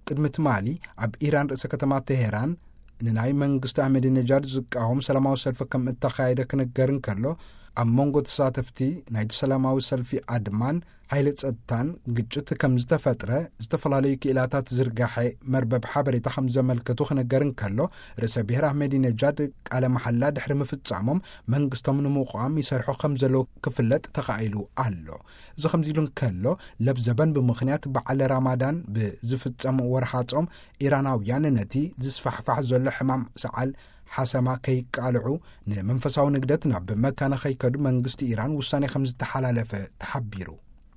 ቅድሚ ትማሊ ኣብ ኢራን ርእሰ ከተማ ቴሄራን ንናይ መንግስቲ ኣህመዲነጃድ ዝቃወም ሰላማዊ ሰልፊ ከም እተኻየደ ክንገር እንከሎ፣ ኣብ መንጎ ተሳተፍቲ ናይቲ ሰላማዊ ሰልፊ ኣድማን ሓይሊ ጸጥታን ግጭት ከም ዝተፈጥረ ዝተፈላለዩ ክኢላታት ዝርጋሐ መርበብ ሓበሬታ ከም ዘመልከቱ ክነገር እንከሎ፣ ርእሰ ብሔር ኣህመዲነጃድ ቃለ መሓላ ድሕሪ ምፍጻሞም መንግስቶም ንምቋም ይሰርሑ ከም ዘለዉ ክፍለጥ ተኻኢሉ ኣሎ። እዚ ከምዚ ኢሉ እንከሎ፣ ለብዘበን ብምኽንያት በዓል ራማዳን ብዝፍጸም ወርሓ ጾም፣ ኢራናውያን ነቲ ዝስፋሕፋሕ ዘሎ ሕማም ሰዓል ሓሰማ ከይቃልዑ፣ ንመንፈሳዊ ንግደት ናብ መካ ንኸይከዱ መንግስቲ ኢራን ውሳኔ ከም ዝተሓላለፈ ተሓቢሩ።